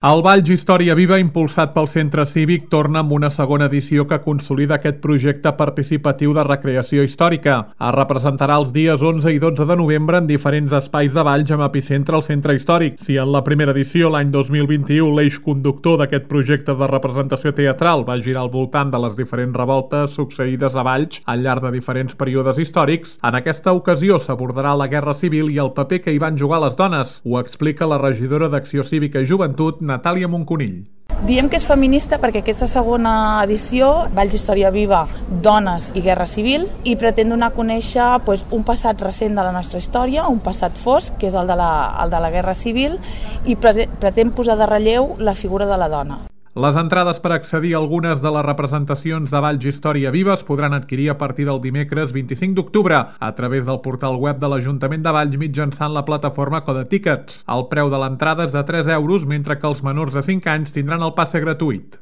El Valls Història Viva, impulsat pel Centre Cívic, torna amb una segona edició que consolida aquest projecte participatiu de recreació històrica. Es representarà els dies 11 i 12 de novembre en diferents espais de Valls amb epicentre al centre històric. Si en la primera edició, l'any 2021, l'eix conductor d'aquest projecte de representació teatral va girar al voltant de les diferents revoltes succeïdes a Valls al llarg de diferents períodes històrics, en aquesta ocasió s'abordarà la Guerra Civil i el paper que hi van jugar les dones. Ho explica la regidora d'Acció Cívica i Joventut, Natàlia Monconill. Diem que és feminista perquè aquesta segona edició, Valls Història Viva, Dones i Guerra Civil, i pretén donar a conèixer un passat recent de la nostra història, un passat fosc, que és el de la Guerra Civil, i pretén posar de relleu la figura de la dona. Les entrades per accedir a algunes de les representacions de Valls Història Viva es podran adquirir a partir del dimecres 25 d'octubre a través del portal web de l'Ajuntament de Valls mitjançant la plataforma Code Tickets. El preu de l'entrada és de 3 euros, mentre que els menors de 5 anys tindran el passe gratuït.